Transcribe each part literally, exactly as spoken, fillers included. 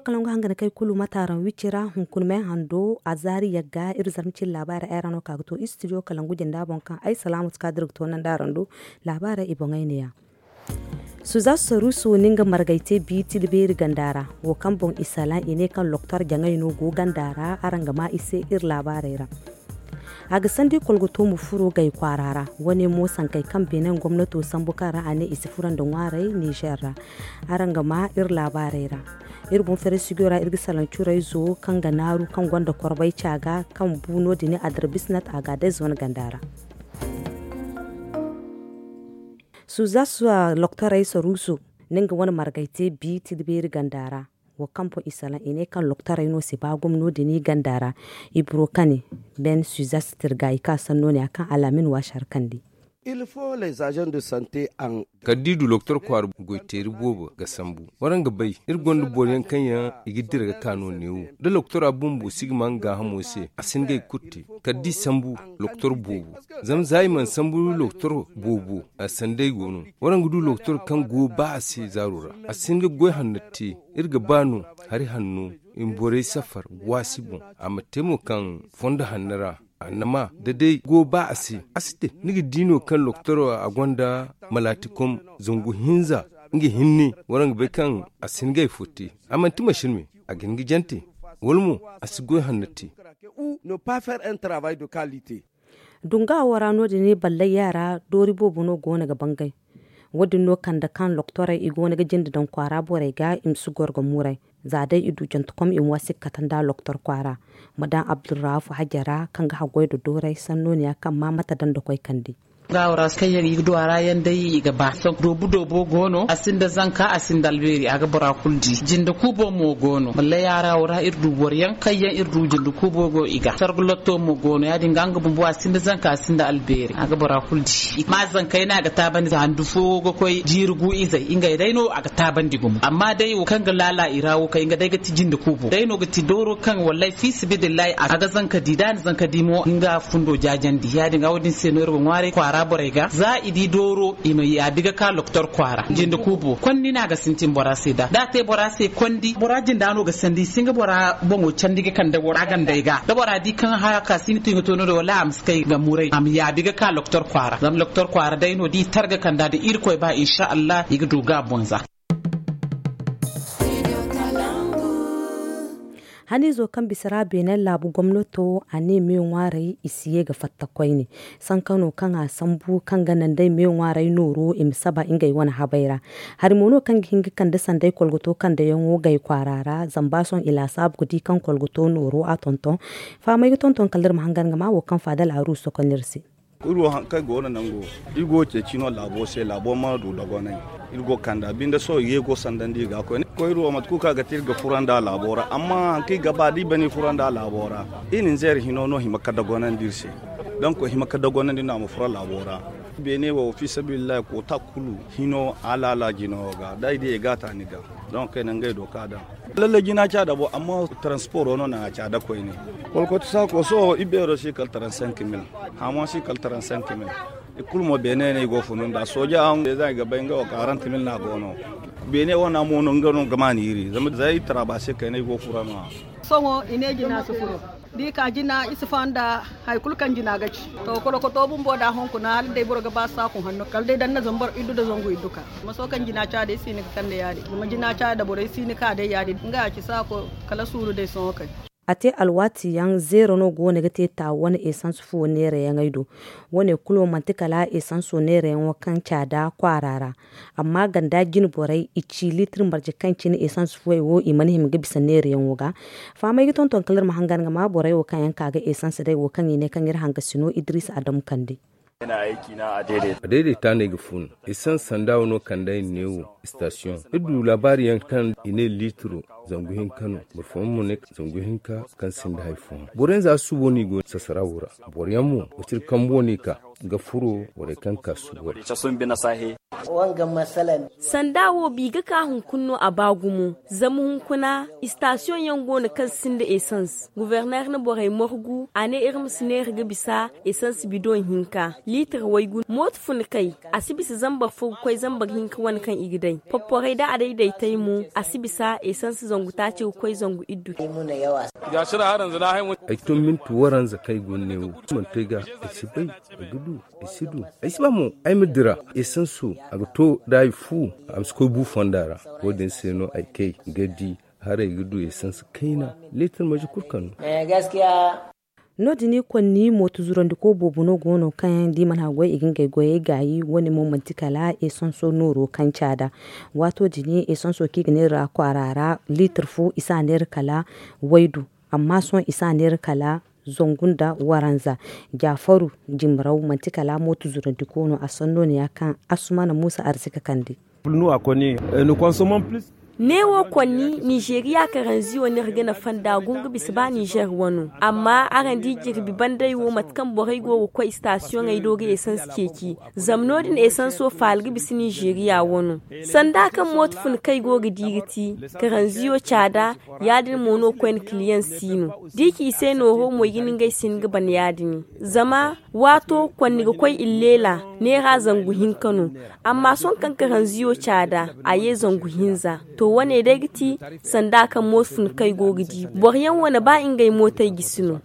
Kalangu hangan kay kulu mataaraŋ wicira hunkuna me hando a zaari yagga iri zarma cine laabaarey ay ra no ka ga to istidiyo kalangu jinda boŋ kaŋ ay salaamu si ka dira ga to nanda araŋ do. Laabaarey i boŋey ne ya. Suza saruso na nga margay te bi tilbeeri ganda ra. Wo kaŋ boŋ i salaŋ i ne kaŋ loktor jaŋay no go ganda ra araŋ ga ma i se iri laabaarey ra. A ga sandi kolgoto ma furo gay kwaara ra. Wane mo sankey kaŋ benin gomnato sambu kaŋ ra a ne i si furo nda ŋwaaray nizer ra. Araŋ ga ma iri laabaarey ra. Iri boŋ fere sigo ra iri ga salaŋ curayzo kaŋ ga naaru kaŋ gonda korbay ca ga kaŋ bu no- din adarbisnat a ga day zone ganda ra. Suza suwa loktorey saruso na nga wane margay te bi tilbeeri ganda ra. Wo kaŋ boŋ i salaŋ i ne kaŋ loktorey no si ba gomno din i ganda ra. Ibro kane ben suzas tirga i ka sanno ne a kaŋ alamin waasi har kandi. Kala da i du loktor kwaara goyteeri boobo ga sambu. Waraŋ ga bay iri gonda boro yaŋ kaŋ yaŋ i ga dira ga ka no neewo da loktora bumbo si ga ma nga gaahamo se a si hin ga ay kulu te. Kala da i sambu loktor boobo. Zama za i mana sambu loktor boobo a sanday go no. Waraŋ ga du loktor kaŋ go ba a se zaaro ra a si hin ga goy hanno te. Iri ga ba no hari hanno i ma borey safar waasi boŋ. A ma te mo kaŋ fondo hanno ra. Annama da day go ba a se a si te. Ni ga di no kaŋ loktor a gonda malaatikom zangu hinza nga hinne. Waraŋ ga bay kaŋ a si hin ga ay fo te. A manti masin me a ga hin ga jante wala mo a si goy hanno te. Dunga wo ra no- din ballay yaara doori boobo no go no ga bangay. Wo- din no kande kaŋ loktorey i go no ga jinde daŋ kwaara borey ga i ma si goro ga muray. Za day i du jantekom i ma waasi ga kate nda loktor kwaara. Ma daŋ abdurrahaafu hajara kaŋ ga haggoy nda doorey sanno ne ya kaŋ ma mate daŋ nda koy kandi. Nga wo ra kaŋ yaŋ i ga du a ra yaŋ day i ga ba doobu doobo go no a sinda zanka a sinda albeeri a ga bora kulu di. Jinde kuubo mo go no mallay yaara wo ra iri du boro yaŋ kaŋ yaŋ iri du jinde kuubo go i ga sargu lotto mo go no ya- din ga nga bumbo a sinda zanka a sinda albeeri a ga bora kulu di. Ma zankey no a ga taabandi za handu fo ga koy jiiri gu izey ngey day no a ga taabandi gumo amma day wo kaŋ ga laala i ra wo kay nga day ga ti jinde kuubo day no ga ti dooro kaŋ wallay fiisibidillahi a ga zanka di da a na zanka di mo nga fundo jaajandi ya- din ga wo- din se no iri ga ŋwaaray kwaara borey ga za i di dooro i ma yaabi ga ka loktor kwaara jinde kuubo kondi no a ga sintin bora se da da a te bora se kondi bora jinda no ga sandi i si nga bora boŋo candi ga kande bora gandey ga da bora di kaŋ haya ka si ni tu i ga to no- din wallay a ma si kay ga muray a ma yaabi ga ka loktor kwaara zama loktor kwaara day no da i targa kanda da irkoy ba insa allah i ga du ga bonza. Haniizo kaŋ bisa ra beene laabu gomnato a ne me ŋwaaray i si ye ga fatta koyne. Sankano kaŋ a sambu kaŋ ga naŋ day me ŋwaaray nooro i ma saba ngey wane habay ra. Hari mo no kaŋ ga hin ga kande sanday kolgoto kande yaŋo gay kwaara ra zama ba sohõ i laasaabu ga di kaŋ kolgoto nooro a tonton. Fahamay ga tonton kala iri ma hangan ga ma wo kaŋ faadal a ru sokon iri se. Iri wo haŋ kaŋ go no nango iri go ga ceeci no laabo se laabo ma du dogonay. Iri go ga kande a binde sohõ i ye go sandandi iri ga koyne koy iri wo mate kulu kaŋ a ga te iri ga fura nda laabo ra amma haŋ kaŋ i ga ba da i bana i fura nda laabo ra. Iri ninzeer hino no hima ga dogonandi iri se. Donk hima ga dogonandi no a ma fura laabo ra. Beene wo fiisabilillahi koota kulu hino alaala jino ga da i di i ga a ta ni ga. Donk kayna ngey do ka daŋ. Lallay jina ca dabo amma transporo no naŋ a ca da koyne. Kolkoto saako sohõ i beero si kala trente-cinq mille. Hamo si kala trente-cinq mille. I kulu mo beene no i go funu nda sooja aŋ za i ga bay nga wo quarante mille no a go no. Beene wana mo no nga no ga ma niiri zama za i tara ba se kayna i go fura no. Sohõ i ne jina si furo da i ka jina i si faŋ nda hari kulu kaŋ jina ga ci. To kolokoto bumbo da hunkuna hala day boro ga ba saaku hanno kala day da ni na zama boro iddu da zangu iddu ka. Maso kaŋ jina ca day si ni ga kande ya- din zama jina ca da borey si ni ka day ya- din nga ya ci saako. Kala suuru day sohõ kay. A te alwaati yaŋ zeero no go no ga te taawu wane esans fuwo neerayaŋey do. Wane kulu manti kala esanso neerayaŋo kaŋ caada kwaara ra. Amma ganda jine borey i ci liitir marje kaŋ cine esans fuwey wo i mana hima ga bisa neerayaŋo ga. Fahamay ga tonton kala iri ma hangan ga ma borey wo kaŋ yaŋ ka ga esans day wo kaŋ i ne kaŋ iri hangasino idris adamu kande. A daidaita no ay ga fun. Esans sanda wano kande ay ne wo. Station iri du laabaari yaŋ kaŋ i ne liitiro zangu hinka no. Boro fooyaŋ mo ne zangu hinka kaŋ sinda hari fooyaŋ boro yaŋ za subo no i go sasara wo ra. Boro yaŋ mo waciri kambo no i ka. ga furo borey kaŋ ka suubo ra. Sanda wo bi ga ka hunkuna no a ba gumo. Zama hunkuna istasiyoŋ yaŋ go no kaŋ sinda esans. Guberner na borey margu a ne iri ma si neera ga bisa esans bidoŋ hinka liitir waygu mooto funa kay. A si bisa zambar fo ga koy zambar hinka wane kaŋ i ga day. Popporey da a daydaytay mo a si bisa esans zangu taaci ga koy zangu iddu. Ay to minti waranza kaŋ ay go ga ne wo manti ay ga ay si bay. Ay ga du ay si du ay si ba mo ay ma dira. Esanso a ga to da ay fu a ma si koy bu fonda ra. Wo- din se no ay kay ga di haray ga du esanso kayna leetar maje kulu kaŋ no. No- din i konni mooto zurandiko boobo no go no kaŋ yaŋ da i mana goy i ga ngey goyey gaayi wo- ne mo manti kala esanso nooro kaŋ caada. Waato din esanso kaŋ i ga neera kwaara ra liitar fo i si a neera kala waydu. Amma sohõ i si a neera kala zangu nda waranza. Jaafaru jimraw manti kala mooto zurandiko no a sanno ne- ya kaŋ asumana muusa arzika kande. Neewo konni nizeeriya karanziyo no iri ga nafa nd'a gumo ga bisa ba nizeer wano. Amma araŋ di jirbi banday wo mate kaŋ borey go ga koy istasiyoŋey do ga esans ceeci. Zama no- din esanso faala ga bisa nizeeriya wano. Sanda kaŋ mooto funa kaŋ ay go ga di ga ti karanziyo caada. Ya- din mo no koyne kiliyaŋ si no da i ci i se nooro mo i ga ne ngey si hin ga ban ya- din. Zama waato konni ga koy illeela neera zangu hinka no. Amma sohõ kaŋ karanziyo caada a ye zangu hinza. To wane day ga ti sanda kaŋ mooto funa kaŋ ay go ga di boro yaŋ wane ba ngey mootey gisi no.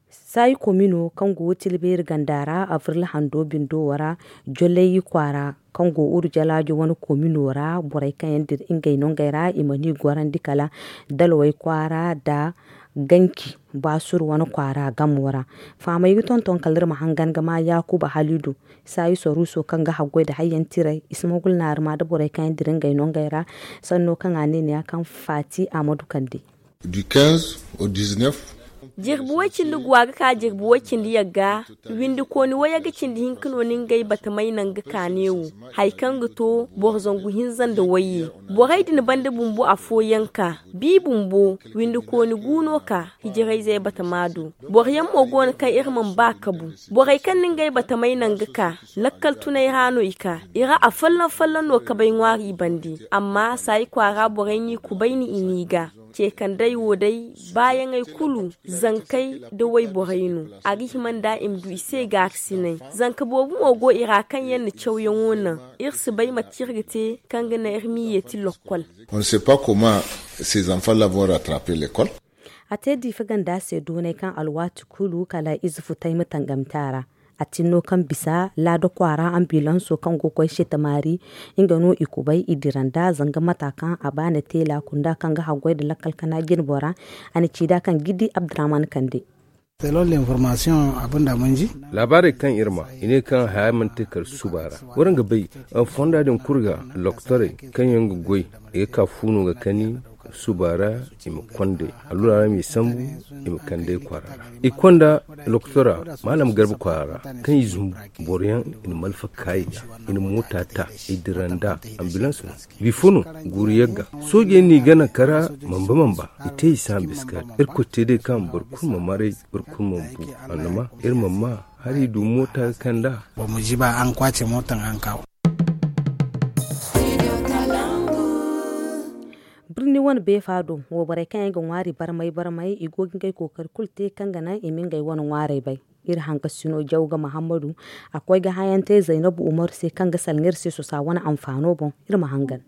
Saayi komino kaŋ go tilbeeri ganda ra abril hando bindo wo ra, jolay kwaara kaŋ go uru jalaajo wane komino ra borey kaŋ yaŋ dira ngey nongey ra i mana i gorandi kala dalwey kwaara nda ganci baasur wane kwaara gamo ra. Fahamey ga tonton kala iri ma hangan ga ma yaakuba halidu saayi soruuso kaŋ ga haggoy nda hayyaŋ tiray i si mogul naarima nda borey kaŋ yaŋ dira ngey nongey ra. Sanno kaŋ a ne ne ya kaŋ faati a ma du kande. Jirbi way-cindi go a ga ka jirbi way-cindi yagga. Windikooni wayagga cindi hinka no ni ngey batamay naŋ ga ka neewo. Hari kaŋ ga to boro zangu hinza nda wayye. Borey din banda bumbo afooyaŋ ka bi bumbo windikooni gu no ka hijirayzey batama do. Boro yaŋ mo go no kaŋ iri mana ba kabu. Borey kaŋ ni ngey batamay naŋ ga ka lakkal tunay ra no i ka i ra afolloŋ folloŋ no kabay ŋwaari i bande. Amma saayi kwaara borey n'i kubayni i n'i ga ce kandey wo day baayaŋey kulu zankey nda wayborey no. A ga hima nd'a i ma du i se gaakasinay. Zanka boobo mo go i ra kaŋ yaŋ na cawyaŋo naŋ. Iri si bay mate kaŋ iri ga te kaŋ ga naŋ iri m'i yeeti lokkol. On ne sait pas comment ces enfants là vont rattraper l'école. A te diifa ganda se doonay kaŋ alwaati kulu kala ize futay ma tangam te a ra. A tinno kaŋ bisa laada kwaara ambilanso kaŋ go ga koy seetamaari nga no i kubay i dira nd'a zanga mata kaŋ a ba na te laakunda kaŋ ga haggoy nda lakkal kana jinbo ra. A na ci nd'a kaŋ gidi abdurahman kande. Laabaarey kaŋ iri ma i ne kaŋ haya mana te kala suba ra. Waraŋ ga bay fonda din kulu ga lokotorey kaŋ yaŋ ga goy i ga ka fu no ga kani suba ra. I ma konda allura ra m'i sambu i ma kand'ey kwaara ra. I konda lokotora maalam garba kwaara ra kaŋ i zumbu boro yaŋ i na malfa kaayi ga i na moota ta i dira nda ambulans no. Bifo no guuru yagga soojey n'i gana kara mamba mamba. I te i saamu biska iri koy te day kaŋ boro kulu ma maray boro kulu ma bu. Annama iri ma ma hari du moota ga kand'a. Boro ma jiba araŋ kwaace mootaŋ araŋ kaw. Birni wane beefa do wayborey kaŋ yaŋ ga ŋwaari barmay barmay i go ga ngey kookari kulu te kaŋ ga naŋ i ma ngey wane ŋwaarey bay. Iri hankasino jawga muhammadu a koy ga hayantey zaynabu umaru se kaŋ ga salaŋ iri se sosa wane anfaano boŋ. Iri ma hangan.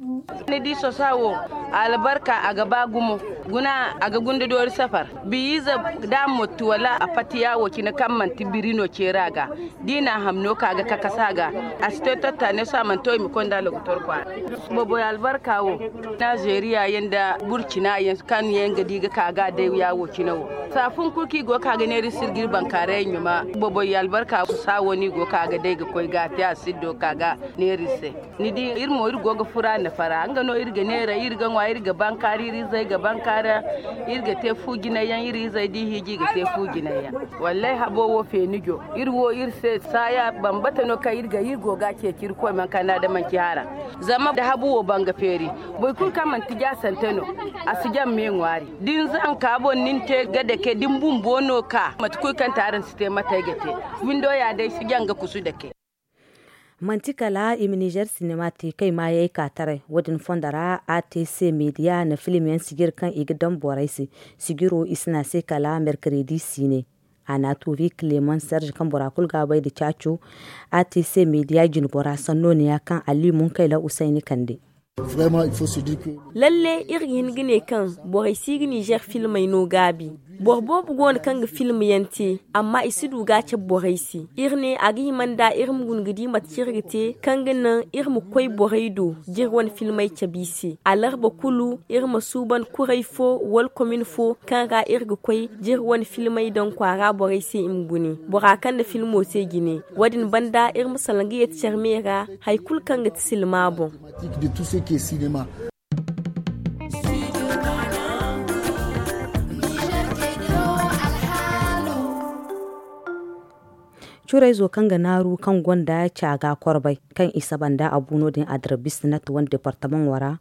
Ni di sosa wo albarka a ga ba gumo. Guna a ga gunda doori safar biyiize da a motti wala a fatiya wo cine kaŋ manti biri no ceera ga. D'i na a ham no ka ga kakasa ga a si te tatta ne so a mana to i ma konda logotor kwaara. Boboy albarka wo, nazeeriya yaŋ nda burcina yaŋ kaŋ yaŋ ga di ga ka ga day ya wo cine wo. Saafun kulu kaŋ i go ga ka ga neera iri se iri ga iri bankaaray yaŋ ɲuma. Boboy albarka wo saawo no i go ga ka ga day ga koy ga a te a siddo ka ga neera iri se. Ni di iri mo iri go ga fura nafa ra nga no iri ga neera iri ga ŋwa iri ga bankaara iri izey ga bankaara. Iri ga te fu jinay yaŋ iri izey da i hiiji i ga te fu jinay yaŋ. Wallay habo wo feeni jo iri wo iri se saaya bambata no kaŋ iri ga iri go ga a ceeci iri koy mankaana da manci hara. Zama da habu wo banga feeri boro kulu kaŋ manti jaasante no a si jaŋ me ŋwaari. Da ni zanka boŋ ni na te ga dake da ni bumbo no ka mate kulu kaŋ te araŋ si te. Windo ya day si janga kusu dake. Manti kala i ma nizer sinema te kaŋ i maayey ka taray wo- din fondo ra, a te se meediya na film yaŋ sijir kaŋ i ga daŋ borey se. Sijiro i si ne a se kala merkaredi siine. A na a tuubi kileman serge kaŋ bora kulu ga a bay nda caaco. A te se meediya jinbora sanno neeya kaŋ ali munkayla usayni kande. Lalle iri ga hin ga ne kaŋ borey si ga nizer filmey no gaabi. Boro boobo go no kaŋ ga film yaŋ te, amma i si du ga a cabe borey se. Iri ne a ga hima nda iri ma guna ga di mate kaŋ iri ga te kaŋ ga naŋ iri ma koy borey do, da iri wane filmey cabe i se alarba kulu. Iri ma suuban kuray fo wala komin fo kaŋ ra iri ga koy da iri wane filmey daŋ kwaara borey se i ma gune. Bora kaŋ na filmo te jine, wo- din banda iri ma salaŋ ga yeeti care me ra. Hari kulu kaŋ ga ti silma boŋ. Curayzo kaŋ ga naaru kaŋ gonda caaga korbay kaŋ i saba nda a bu no- din a dira bisnat wane departamaŋo ra.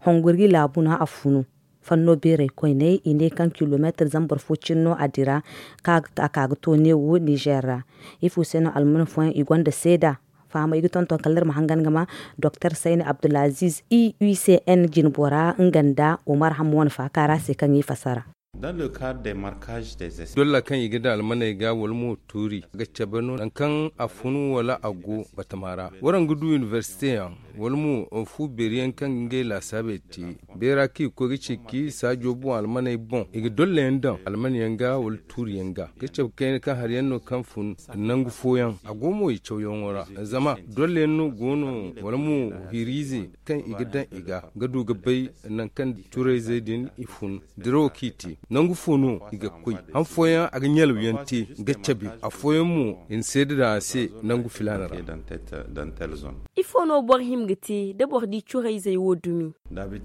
Honguri laabu no a funu. Fanno beeray koyney i ne kaŋ kilomeetir zambar fo cine no a dira ka a ka ga to neewo nizer ra. Ifo se no alman fooyaŋ i gonda seeda? Fahamay ga tonton kala iri ma hangan ga ma doktor sayni abdulaziz i u c n jinbora nga nda umar hamma wane faaka ra se kaŋ i fasara. Dolla kaŋ i ga daŋ almaney ga wala mo tuuri ga cabe no nangu kaŋ a funu wala a go batama ra. Waraŋ ga du inibersite yaŋ wala mo fu beeri yaŋ kaŋ ga ngey laasaabey te beera kaŋ i ga koy ga ceeci saajo boŋ almaney boŋ i ga dolla yaŋ daŋ almane yaŋ ga wala tuuri yaŋ ga ga cabe kayna kaŋ hari yaŋ no kaŋ fun nangu fooyaŋ a go mo i cawyaŋo ra. Zama dolla yaŋ no go no wala mo hiiriize kaŋ i ga daŋ i ga ga du ga bay nangu kaŋ curayzey din i fun dirawo kaŋ i te nangu fo no i ga koy han fooyaŋ a ga ɲalawyaŋ te ga cabe afooyaŋ mo i na seeda daŋ a se nangu filaana ra. Ifo no boro hima ga te da boro di curayzey wo dumi? Hari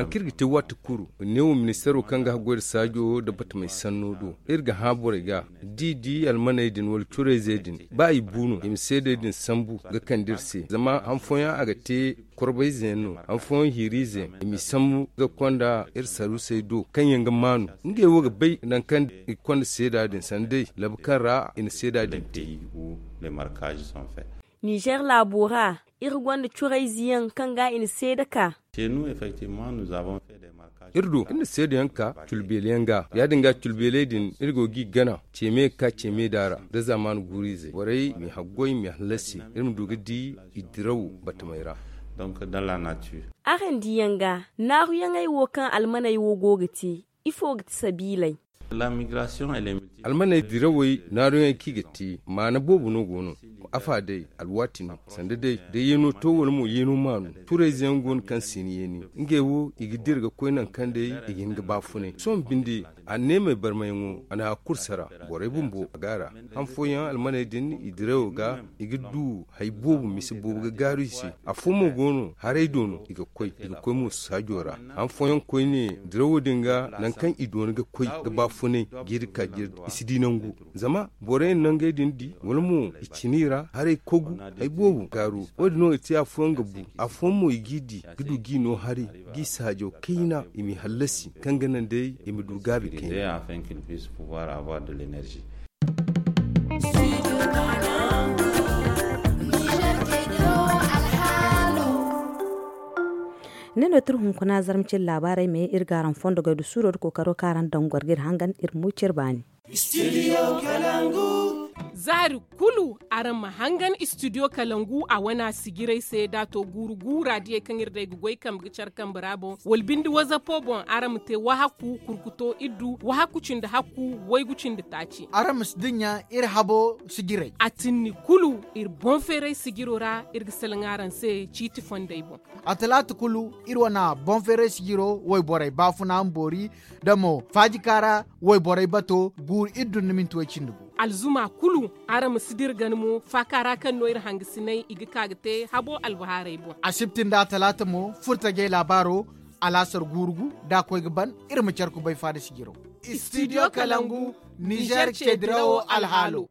kaŋ iri ga te waati kulu neewo ministeero kaŋ ga haggoy nda saajo nda batamey sanno do iri ga hã borey ga da i di almaney din wala curayzey din ba i bu no i ma seedey din sambu ga kande iri se zama han fooyaŋ a ga te korbayze yaŋ no han fooyaŋ hiiriize yaŋ i m'i sambu ga konda iri saruusey do kaŋ yaŋ ga maanu ngey wo ga bay nangu kaŋ i ga konda seeda din sanda day labu kaŋ ra i na seeda din te. Nizer laabo ra iri gonda curayze yaŋ kaŋ ga i na seeda ka. Iri do iri na seeda yaŋ ka culbeele yaŋ ga ya- din ga culbeeley din iri go g'i gana ceeme ga ka ceeme da ra nda zaamaani guuru-izey borey m'i haggoy m'i hallasi iri ma du ga di i diraw batamey ra. Araŋ diyaŋ ga naaruyaŋey wo kaŋ almaney wo go ga te ifo ga ti sabiiley? Almaney dirawey naaruyaŋey kaŋ i ga te maana boobo no go no. Afa day alwaati no sanda day da yeeno to wala mo yeeno maanu curayze yaŋ go no kaŋ si ni yeeni ngey wo i ga dira ga koy nangu kaŋ day i ga hin ga baafunay sohõ binde anneemey barmayaŋo a na a kulu sara borey bumbo a ga a ra. Han fooyaŋ almaney din i dirayo ga i ga du hari boobo mise boobo ga gaaru i se. Afo mo go no haray do no i ga koy i ga koy mo saajo ra. Han fooyaŋ koyne dirawo din ga nangu kaŋ i doona ga koy ga baafunay jiiri ka jiiri i si di nangu zama borey na nangey din di wala mo i cina i ra haray kogu hari boobo gaaru. Wo- din no i te afooyaŋ ga bu afooyaŋ mo i g'i di ga du g'i no haray g'i saajo kayna i m'i hallasi kaŋ ga naŋ day i ma du gaabi kayna. Ne no tir hunkuna zarma cire laabaarey me iri ga araŋ fondo gay du suuro da kookaro kaŋ araŋ daŋ goro ga iri hangan iri mo cire baani. Zaari kulu araŋ ma hangan istidiyo kalangu a wana sijirey se da a to guuru guura diyey kaŋ iri day ga goy kambe ga care kambe ra boŋ wala binde wazapo boŋ araŋ ma te wahakku kurkuto iddu wahakku cindi hakku waygu cindi taaci. Araŋ ma si dinya iri habo sijirey a tinni kulu iri boŋ feeray sijiro ra iri ga salaŋ araŋ se ciiti fondey boŋ. A talaata kulu iri wana boŋ feeray sijiro wayborey baafuna ma boori da mo faajikaara wayborey bato guuru iri dun na minti way cindi gu. Alzuma kulu araŋ ma si dira gana mo faaka ra kaŋ no iri hangasinay i ga ka ga te habo albahaarey boŋ. Asibti nda talaata mo furtajey laabaaro alaasar guuru gu da a koy ga ban iri ma care kubay faada sijiro. Istidiyo kalangu nizer ceedirawo alhaalo.